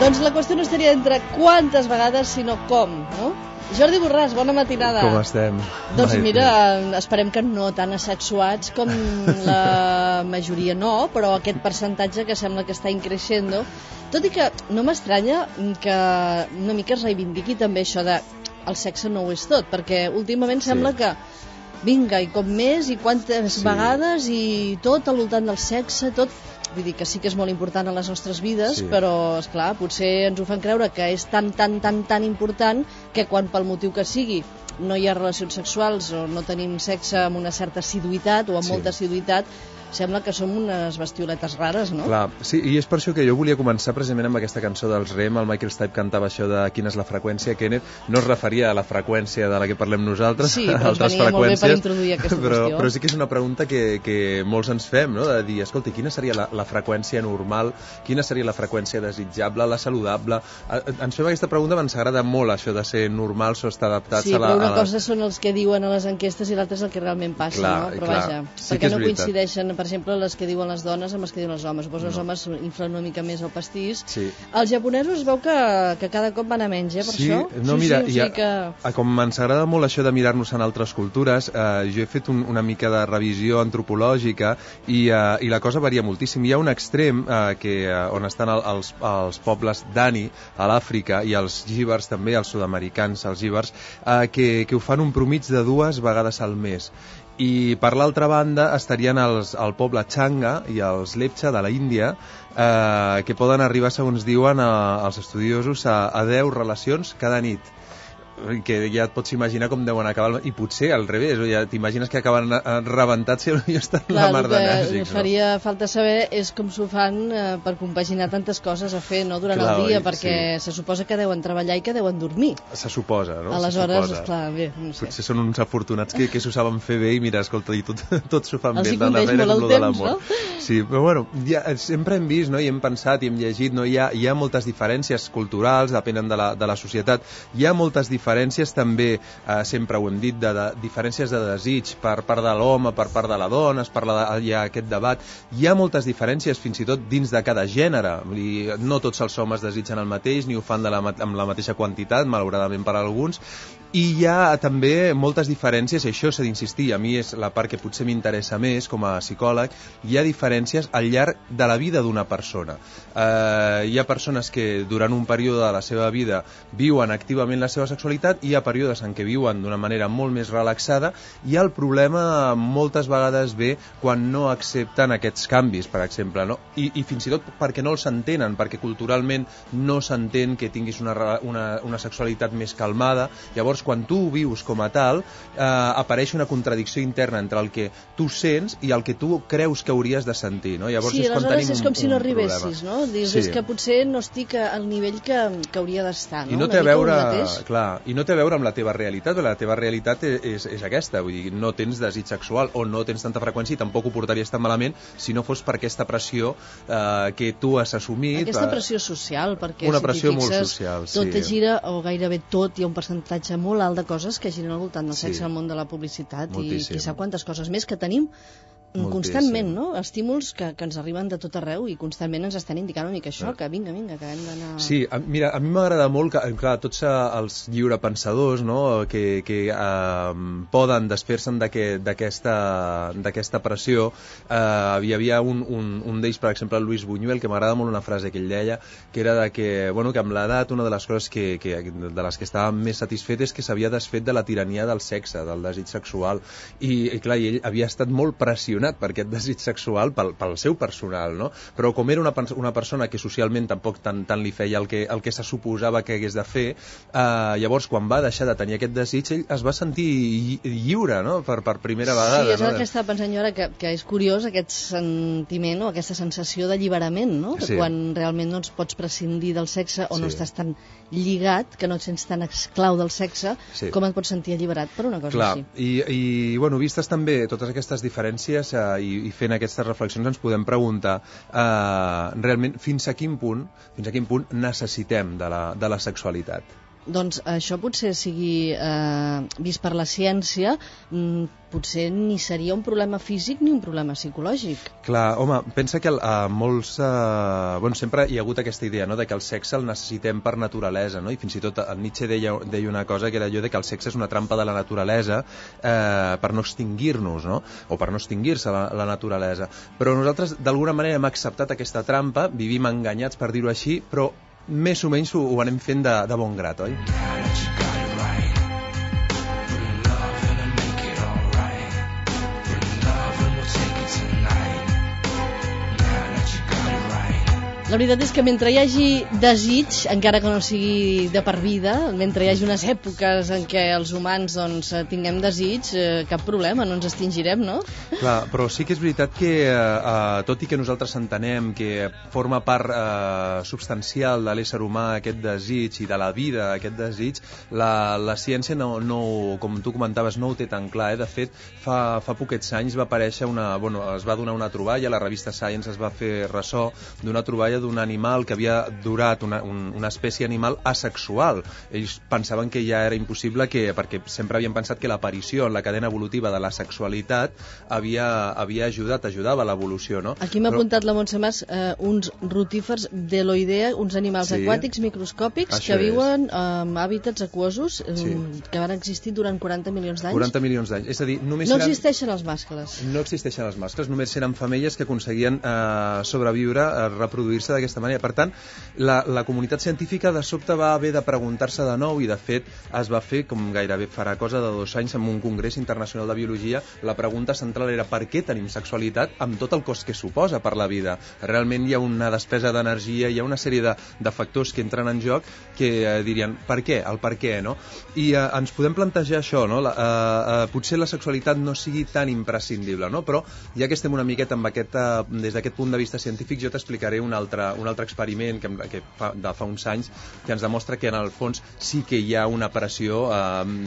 Doncs la qüestió no estaria entre quantes vegades, sinó com, no? Jordi Borràs, bona matinada. Com estem? Doncs mira, esperem que no tan asexuats com la majoria no, però aquest percentatge que sembla que està increixent, tot i que no m'estranya que una mica es reivindiqui també això de el sexe no ho és tot, perquè últimament sembla que vinga, i com més, i quantes vegades, i tot al voltant del sexe, tot. Vull dir que sí que és molt important a les nostres vides, però, esclar, potser ens ho fan creure que és tan important que quan pel motiu que sigui no hi ha relacions sexuals o no tenim sexe amb una certa assiduïtat o amb molta assiduïtat, sembla que som unes bestioletes rares, no? Clar, sí, i és per això que jo volia començar precisament amb aquesta cançó dels Rem. El Michael Stipe cantava això de quina és la freqüència, Kenneth. No es referia a la freqüència de la que parlem nosaltres, sí, però ens venia molt bé per introduir aquesta qüestió. Però sí que és una pregunta que molts ens fem, no? De dir, escolta, quina seria la freqüència normal, quina seria la freqüència desitjable, la saludable? Ens fem aquesta pregunta, ens agrada molt això de ser normals o estar adaptats a la... Sí, però una cosa són els que diuen a les enquestes i l'altra és el que realment passa, no? Però vaja, perquè no coincideixen, per exemple, les que diuen les dones amb les que diuen els homes. Suposo els homes inflen una mica més el pastís. Els japonesos es veu que cada cop van a menys, per això? No, mira, com ens agrada molt això de mirar-nos en altres cultures, jo he fet una mica de revisió antropològica i la cosa varia moltíssim. Hi ha un extrem on estan els pobles Dani, a l'Àfrica, i els jíbars també, els sud-americans, els jíbars, que ho fan un promig de 2 vegades al mes. I per l'altra banda estarien el poble Changa i els Lepcha de la Índia, que poden arribar, segons diuen els estudiosos, a 10 relacions cada nit, que ja et pots imaginar com deuen acabar, i potser al revés, ja t'imagines que acaben rebentats i ja estan la mar d'enèrgics. El que faria falta saber és com s'ho fan per compaginar tantes coses a fer durant el dia, perquè se suposa que deuen treballar i que deuen dormir. Se suposa, no? Aleshores, esclar, bé, no sé. Potser són uns afortunats que s'ho saben fer bé i mira, escolta, i tot s'ho fan bé. Els hi coneix molt el temps, no? Sí, però bueno, sempre hem vist, i hem pensat i hem llegit, hi ha moltes diferències culturals, depenen de la societat, hi ha moltes diferències també, sempre ho hem dit, de diferències de desig per part de l'home, per part de la dona, hi ha aquest debat. Hi ha moltes diferències fins i tot dins de cada gènere. No tots els homes desitgen el mateix, ni ho fan amb la mateixa quantitat, malauradament per a alguns. I hi ha també moltes diferències, i això s'ha d'insistir, a mi és la part que potser m'interessa més com a psicòleg, hi ha diferències al llarg de la vida d'una persona. Hi ha persones que durant un període de la seva vida viuen activament la seva sexualitat, hi ha períodes en què viuen d'una manera molt més relaxada, i el problema moltes vegades ve quan no accepten aquests canvis, per exemple, no? I fins i tot perquè no els entenen, perquè culturalment no s'entén que tinguis una sexualitat més calmada. Llavors, quan tu ho vius com a tal, apareix una contradicció interna entre el que tu sents i el que tu creus que hauries de sentir, no? Llavors sí, és quan tenim és com si no arribessis, no? Dius, és que potser no estic al nivell que hauria d'estar, no? I no té a veure, clar, i no té a veure amb la teva realitat, perquè la teva realitat és aquesta, vull dir, no tens desig sexual o no tens tanta freqüència i tampoc ho portaries tan malament si no fos per aquesta pressió que tu has assumit. Aquesta pressió social, perquè una si pressió t'hi fixes, molt social, tot gira, o gairebé tot, hi ha un percentatge molt alt de coses que giren al voltant del sexe al món de la publicitat. Moltíssim. I qui sap quantes coses més que tenim constantment, no? Estímuls que ens arriben de tot arreu i constantment ens estan indicant una mica això, que vinga, que hem d'anar... Sí, mira, a mi m'agrada molt que, clar, tots els lliurepensadors, no?, que poden desfer-se'n d'aquesta pressió. Hi havia un d'ells, per exemple, el Luis Buñuel, que m'agrada molt una frase que ell deia, que era que amb l'edat una de les coses de les que estava més satisfet és que s'havia desfet de la tirania del sexe, del desig sexual, i clar, ell havia estat molt pressionat per aquest desig sexual pel seu personal, no? Però com era una persona que socialment tampoc tant li feia el que se suposava que hagués de fer, llavors quan va deixar de tenir aquest desig ell es va sentir lliure, no? Per primera vegada. Sí, és el que estava pensant jo ara, que és curiós aquest sentiment o aquesta sensació d'alliberament, no? Que quan realment no ens pots prescindir del sexe o no estàs tan lligat, que no et sents tan esclau del sexe, com et pots sentir alliberat per una cosa així. I bueno, vistes també totes aquestes diferències i fent aquestes reflexions ens podem preguntar realment fins a quin punt necessitem de la sexualitat. doncs això potser sigui vist per la ciència, potser ni seria un problema físic ni un problema psicològic. Clar, home, pensa que molts... sempre hi ha hagut aquesta idea, no?, de que el sexe el necessitem per naturalesa, no? I fins i tot el Nietzsche deia una cosa que era allò de que el sexe és una trampa de la naturalesa per no extingir-nos, no?, o per no extingir-se la naturalesa. Però nosaltres d'alguna manera hem acceptat aquesta trampa, vivim enganyats per dir-ho així, però més o menys ho anem fent de bon grat, oi? La veritat és que mentre hi hagi desig, encara que no sigui de per vida, mentre hi hagi unes èpoques en què els humans tinguem desig, cap problema, no ens extingirem, no? Clar, però sí que és veritat que, tot i que nosaltres entenem que forma part substancial de l'ésser humà aquest desig i de la vida aquest desig, la ciència, com tu comentaves, no ho té tan clar. De fet, fa poquets anys va aparèixer es va donar una troballa, la revista Science es va fer ressò d'una troballa d'un animal que havia durat, una espècie animal asexual. Ells pensaven que ja era impossible, perquè sempre havien pensat que l'aparició en la cadena evolutiva de la sexualitat ajudava a l'evolució, no? Aquí m'ha apuntat la Montse Mas uns rotífers d'Eloidea, uns animals aquàtics microscòpics que viuen en hàbitats aquosos que van existir durant 40 milions d'anys. 40 milions d'anys. És a dir, només no existeixen els mascles. No existeixen els mascles, només eren femelles que aconseguien sobreviure, reproduir-se d'aquesta manera. Per tant, la comunitat científica de sobte va haver de preguntar-se de nou, i de fet es va fer, com gairebé farà cosa de 2 anys, en un congrés internacional de biologia, la pregunta central era per què tenim sexualitat amb tot el cost que suposa per la vida. Realment hi ha una despesa d'energia, hi ha una sèrie de factors que entren en joc que dirien, per què? El per què, no? I ens podem plantejar això, no? Potser la sexualitat no sigui tan imprescindible, no? Però ja que estem una miqueta des d'aquest punt de vista científic, jo t'explicaré un altre experiment que fa uns anys, que ens demostra que en el fons sí que hi ha una pressió,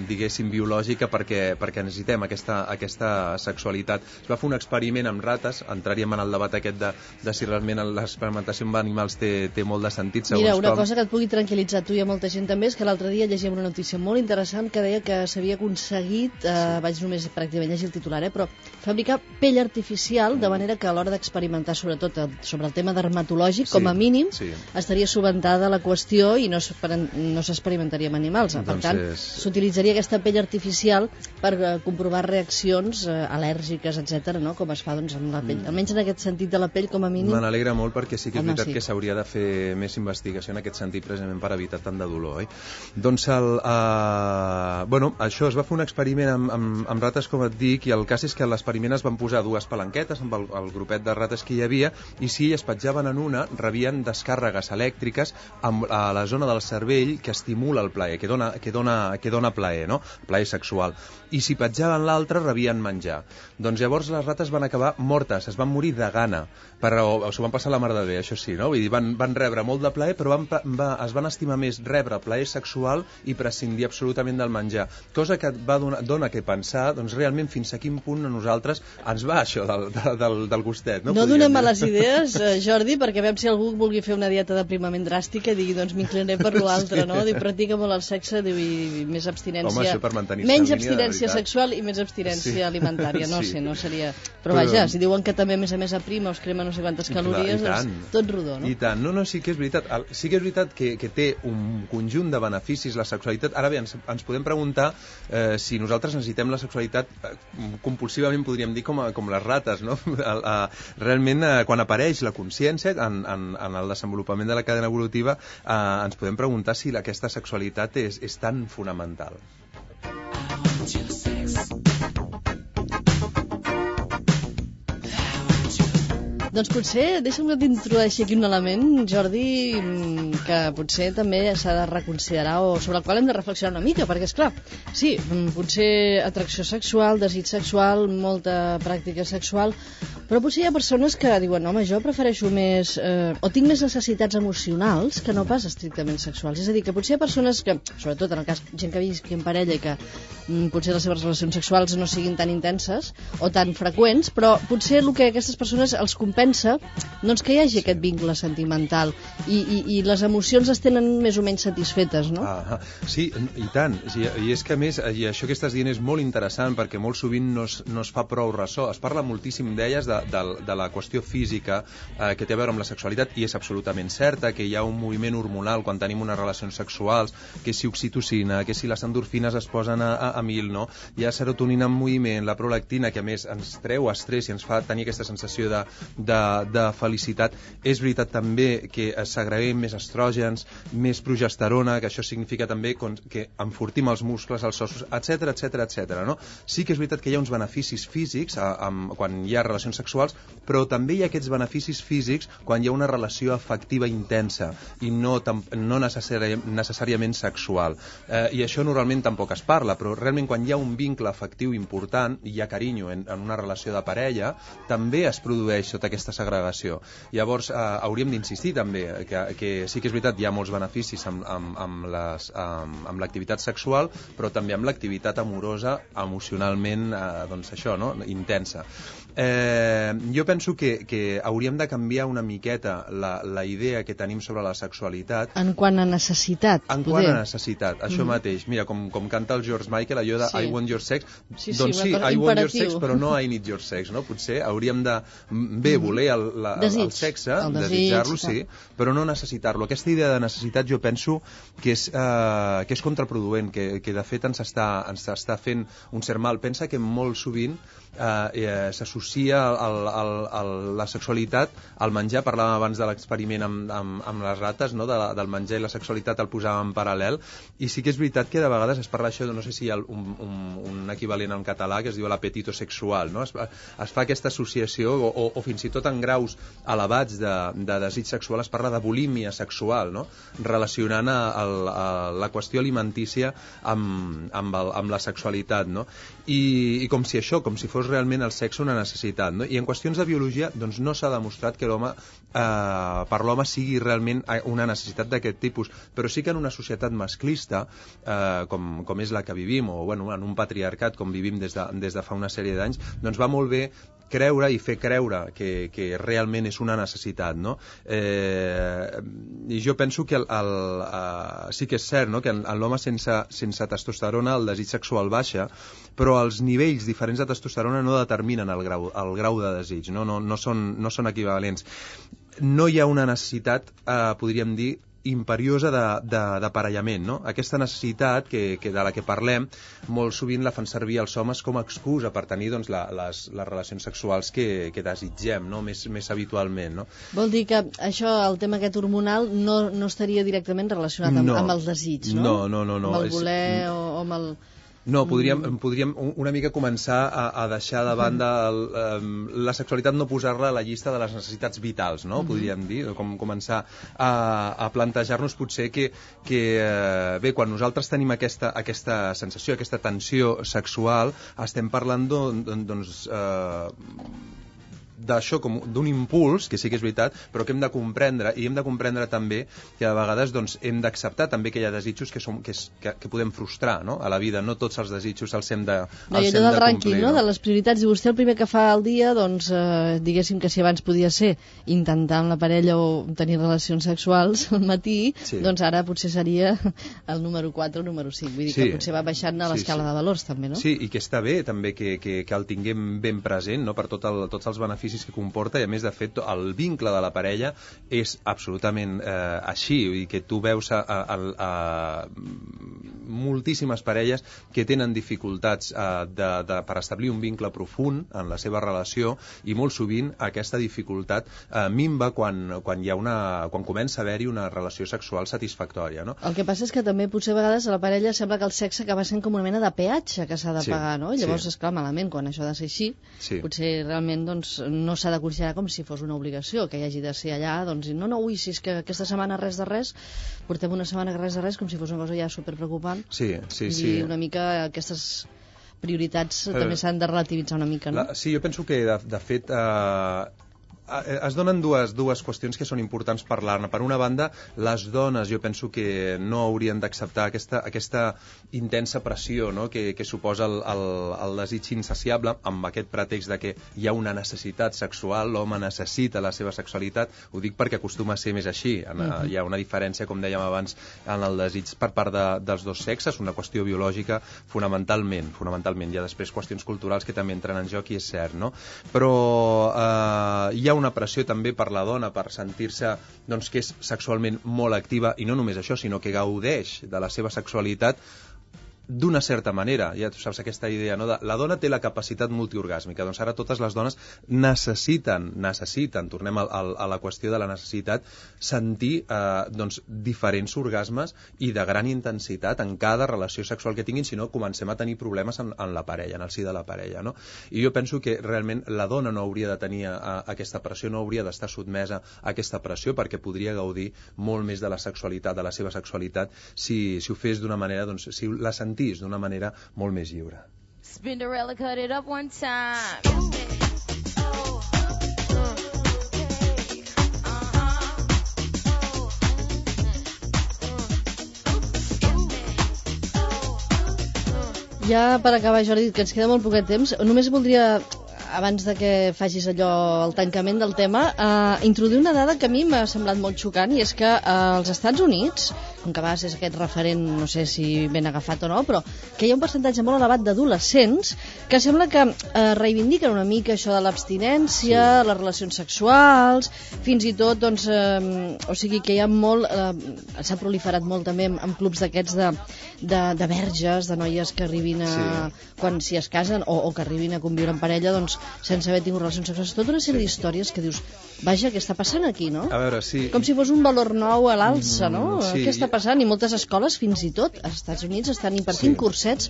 diguéssim, biològica perquè necessitem aquesta sexualitat. Es va fer un experiment amb rates, entraríem en el debat aquest de si realment l'experimentació amb animals té molt de sentit, segons Mira, una cosa que et pugui tranquil·litzar tu i a molta gent també és que l'altre dia llegíem una notícia molt interessant que deia que s'havia aconseguit, vaig només pràcticament llegir el titular, però fabricar pell artificial, de manera que a l'hora d'experimentar sobretot sobre el tema dermatològic, com a mínim, estaria subventada la qüestió i no s'experimentaria amb animals. Per tant, s'utilitzaria aquesta pell artificial per comprovar reaccions al·lèrgiques, etc., no? Com es fa amb la pell. Almenys en aquest sentit de la pell, com a mínim... Me n'alegra molt, perquè sí que és veritat que s'hauria de fer més investigació en aquest sentit, precisament per evitar tant de dolor, oi? Doncs això, es va fer un experiment amb rates, com et dic, i el cas és que a l'experiment es van posar 2 palanquetes amb el grupet de rates que hi havia, i si es petjaven en una, rebien descàrregues elèctriques a la zona del cervell que estimula el plaer, que dona plaer, no? Plaer sexual. I si petjaven l'altra, rebien menjar. Doncs llavors les rates van acabar mortes, es van morir de gana, però s'ho van passar la mar de bé, això sí, no? Vull dir, van rebre molt de plaer, però es van estimar més rebre plaer sexual i prescindir absolutament del menjar. Cosa que dona que pensar, doncs realment fins a quin punt a nosaltres ens va això del gustet, no? No donem males idees, Jordi, perquè veiem si algú vulgui fer una dieta d'aprimament dràstica i digui, doncs m'inclinaré per l'altre, no? Diu, practica molt el sexe, diu, i més abstinència. Home, això per mantenir-se menys abstinència sexual i més abstinència alimentària, no sé, no seria... Però vaja, si diuen que també a més aprima o es crema no sé quantes calories, doncs tot rodó, no? I tant, no, sí que és veritat. Sí que és veritat que té un conjunt de beneficis la sexualitat. Ara bé, ens podem preguntar si nosaltres necessitem la sexualitat compulsivament, podríem dir, com les rates, no? Realment, quan apareix la consciència en el desenvolupament de la cadena evolutiva, ens podem preguntar si aquesta sexualitat és tan fonamental. Doncs potser, deixa'm que t'introdueixi aquí un element, Jordi, que potser també s'ha de reconsiderar o sobre el qual hem de reflexionar una mica, perquè, esclar, sí, potser atracció sexual, desig sexual, molta pràctica sexual, però potser hi ha persones que diuen, home, jo prefereixo més... o tinc més necessitats emocionals que no pas estrictament sexuals. És a dir, que potser hi ha persones que, sobretot en el cas gent que visqui en parella i que potser les seves relacions sexuals no siguin tan intenses o tan freqüents, però potser el que aquestes persones els compensa doncs que hi hagi aquest vincle sentimental i les emocions emocions es tenen més o menys satisfetes, no? Sí, i tant. I és que, a més, i això que estàs dient és molt interessant, perquè molt sovint no es fa prou ressò. Es parla moltíssim, deies, de la qüestió física que té a veure amb la sexualitat, i és absolutament certa que hi ha un moviment hormonal quan tenim unes relacions sexuals, que si oxitocina, que si les endorfines es posen a mil, no? Hi ha serotonina en moviment, la prolactina, que a més ens treu estrès i ens fa tenir aquesta sensació de felicitat. És veritat també que segreguem més estrògens, més progesterona, que això significa també que enfortim els muscles, els ossos, etc. No? Sí que és veritat que hi ha uns beneficis físics quan hi ha relacions sexuals, però també hi ha aquests beneficis físics quan hi ha una relació afectiva intensa i no necessàriament sexual. I això normalment tampoc es parla, però realment quan hi ha un vincle afectiu important i hi ha carinyo en una relació de parella, també es produeix tota aquesta segregació. Llavors, hauríem d'insistir també que sí que és veritat, hi ha molts beneficis amb l'activitat sexual, però també amb l'activitat amorosa, emocionalment, doncs això, no? Intensa. Jo penso que hauríem de canviar una miqueta la idea que tenim sobre la sexualitat. En quant a necessitat. Això mateix. Mira, com canta el George Michael, allò de I want your sex. Doncs sí, I want your sex, però no I need your sex, no? Potser hauríem de voler el sexe, desitjar-lo, sí, però no necessitar-lo. Aquesta idea de necessitat jo penso que és contraproduent, que de fet ens està fent un cert mal. Pensa que molt sovint s'associa la sexualitat al menjar. Parlàvem abans de l'experiment amb les rates, no? Del menjar i la sexualitat el posàvem en paral·lel, i sí que és veritat que de vegades es parla això, no sé si hi ha un equivalent en català que es diu l'apetito sexual, no? Es fa aquesta associació, o fins i tot en graus elevats de desig sexual es parla de bulímia sexual, no? Relacionant la qüestió alimentícia amb la sexualitat, no? I com si fos realment el sexe una necessitat, no? I en qüestions de biologia doncs no s'ha demostrat que per l'home sigui realment una necessitat d'aquest tipus, però sí que en una societat masclista com és la que vivim, o bueno, en un patriarcat com vivim des de fa una sèrie d'anys, doncs va molt bé creure i fer creure que realment és una necessitat, no? I jo penso que sí que és cert, no? Que en l'home sense testosterona el desig sexual baixa, però els nivells diferents de testosterona no determinen el grau de desig, no són equivalents. No hi ha una necessitat, podríem dir, imperiosa d'aparellament, no? Aquesta necessitat de la que parlem molt sovint la fan servir els homes com a excusa per tenir doncs, les relacions sexuals que desitgem, no? Més habitualment, no? Vol dir que això, el tema aquest hormonal, no estaria directament relacionat amb el desig, no? No. Amb el voler o amb el... No, podríem una mica començar a deixar de banda la sexualitat, no posar-la a la llista de les necessitats vitals, no? Podríem dir, com començar a plantejar-nos potser que bé, quan nosaltres tenim aquesta sensació, aquesta tensió sexual, estem parlant doncs d'això, com d'un impuls, que sí que és veritat, però que hem de comprendre, i hem de comprendre també que a vegades doncs, hem d'acceptar també que hi ha desitjos que podem frustrar, no? A la vida, no tots els desitjos els hem de complir. I allò del rànquing, no? De les prioritats, i vostè el primer que fa al dia, doncs, diguéssim que si abans podia ser intentar amb la parella o tenir relacions sexuals al matí, sí. Doncs ara potser seria el número 4 o el número 5, vull dir que potser va baixant a l'escala de valors també, no? Sí, i que està bé també que el tinguem ben present, no? Per tots els beneficis que comporta, i a més, de fet, el vincle de la parella és absolutament així, vull dir que tu veus moltíssimes parelles que tenen dificultats per establir un vincle profund en la seva relació, i molt sovint aquesta dificultat minva quan comença a haver-hi una relació sexual satisfactòria, no? El que passa és que també potser a vegades a la parella sembla que el sexe acaba sent com una mena de peatge que s'ha de pagar, no? Llavors, esclar, malament, quan això ha de ser així, potser realment doncs no s'ha de considerar com si fos una obligació, que hi hagi de ser allà, doncs, ui, si és que aquesta setmana res de res, portem una setmana res de res, com si fos una cosa ja superpreocupant. Sí. I una mica aquestes prioritats també s'han de relativitzar una mica, no? Sí, jo penso que, de fet, es donen dues qüestions que són importants parlar-ne. Per una banda, les dones jo penso que no haurien d'acceptar aquesta intensa pressió, no?, que suposa el desig insaciable, amb aquest pretext de que hi ha una necessitat sexual, l'home necessita la seva sexualitat. Ho dic perquè acostuma a ser més així. Hi ha una diferència, com dèiem abans, en el desig per part dels dos sexes, una qüestió biològica fonamentalment. Hi ha després qüestions culturals que també entren en joc, i és cert, no? Però hi ha una pressió també per la dona per sentir-se, doncs, que és sexualment molt activa, i no només això, sinó que gaudeix de la seva sexualitat d'una certa manera. Ja tu saps aquesta idea, no? La dona té la capacitat multiorgàsmica, doncs ara totes les dones necessiten, tornem a la qüestió de la necessitat, sentir doncs, diferents orgasmes i de gran intensitat en cada relació sexual que tinguin, si no comencem a tenir problemes en la parella, en el si de la parella, no? I jo penso que realment la dona no hauria de tenir aquesta pressió, no hauria d'estar sotmesa a aquesta pressió, perquè podria gaudir molt més de la sexualitat, de la seva sexualitat, si ho fes d'una manera, doncs, si la sentís d'una manera molt més lliure. Spinderella, cut it up one time. Ja per acabar, Jordi, que ens queda molt poquet temps, només voldria, abans de que facis allò, el tancament del tema, introduir una dada que a mi m'ha semblat molt xocant, i és que als Estats Units, com que a vegades és aquest referent, no sé si ben agafat o no, però que hi ha un percentatge molt elevat d'adolescents que sembla que reivindiquen una mica això de l'abstinència, sí, les relacions sexuals, fins i tot, doncs, o sigui que hi ha molt, s'ha proliferat molt també en clubs d'aquests de verges, de noies que arribin a, sí, quan si es casen, o que arribin a conviure en parella, doncs, sense haver tingut relacions sexuals. Tota una sèrie d'històries que dius, vaja, què està passant aquí, no? A veure, sí. Com si fos un valor nou a l'alça, no? Sí. Què està passant? I moltes escoles, fins i tot, als Estats Units, estan impartint cursets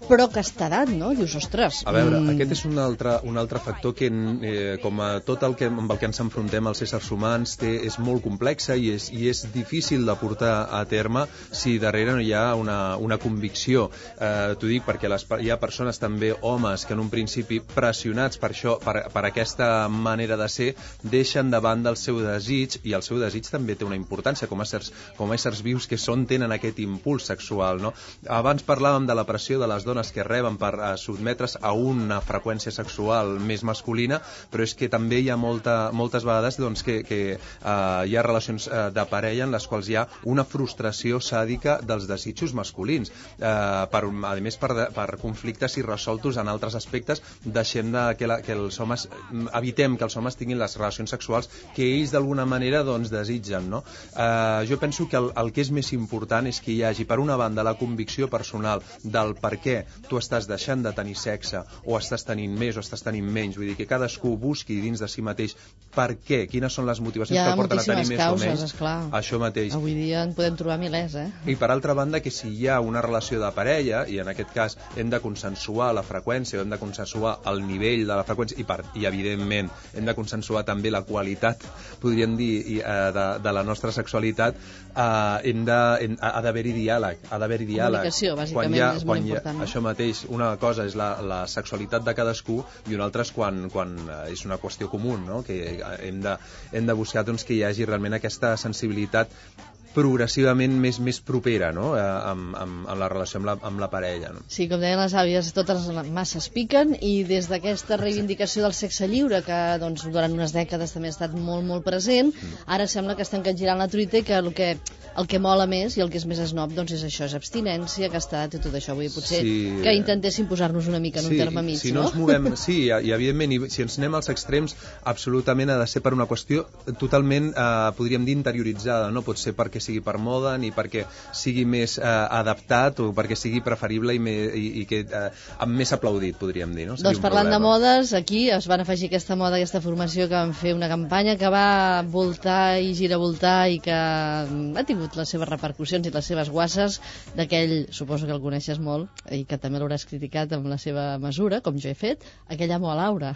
però aquesta edat, no? Dius, ostres... A veure, aquest és un altre factor que, com a tot el que, amb el que ens enfrontem els éssers humans, és molt complexa i és difícil de portar a terme si darrere no hi ha una convicció. T'ho dic perquè hi ha persones, també homes, que en un principi pressionats per això, per aquesta manera de ser, deixen davant del seu desig, i el seu desig també té una importància com a éssers vius que tenen aquest impuls sexual, no? Abans parlàvem de la pressió de les dones que reben per sotmetre's a una freqüència sexual més masculina, però és que també hi ha moltes vegades, doncs, que hi ha relacions de parella en les quals hi ha una frustració sàdica dels desitjos masculins, a més per conflictes irresoltos en altres aspectes. Deixem que els homes, evitem que els homes tinguin les relacions sexuals que ells d'alguna manera, doncs, desitgen, no? Jo penso que el que és més important és que hi hagi, per una banda, la convicció personal del per què tu estàs deixant de tenir sexe, o estàs tenint més o estàs tenint menys. Vull dir que cadascú busqui dins de si mateix per què, quines són les motivacions que el porten a tenir més causes, o menys. Esclar. Això mateix. Avui dia en podem trobar milers, I per altra banda, que si hi ha una relació de parella, i en aquest cas hem de consensuar la freqüència, o hem de consensuar el nivell de la freqüència, i evidentment hem de consensuar també la qualitat, podríem dir, de la nostra sexualitat, ha d'haver-hi diàleg. Comunicació, bàsicament, és molt important. Això mateix, una cosa és la sexualitat de cadascú, i una altra és quan és una qüestió comú, no? Que hem de buscar, doncs, que hi hagi realment aquesta sensibilitat progressivament més propera, no? amb la relació amb la parella, no? Sí, com deien les àvies, totes les masses piquen, i des d'aquesta reivindicació del sexe lliure, que doncs, durant unes dècades també ha estat molt, molt present, ara sembla que estan capgirant la truita, i que el que mola més i el que és més esnob, doncs, és això, és abstinència, castat i tot això. Vull dir, potser que intentéssim posar-nos una mica en un terme mig, si no? Ens movem, sí, i evidentment, si ens anem als extrems, absolutament ha de ser per una qüestió totalment, podríem dir, interioritzada, no pot ser perquè sigui per moda, ni perquè sigui més adaptat, o perquè sigui preferible i que més aplaudit, podríem dir, no? Doncs parlant de modes, aquí es van afegir aquesta moda, aquesta formació, que van fer una campanya que va voltar i giravoltar, i que ha tingut les seves repercussions i les seves guasses, d'aquell, suposo que el coneixes molt, i que també l'hauràs criticat amb la seva mesura, com jo he fet, aquell amo a Laura.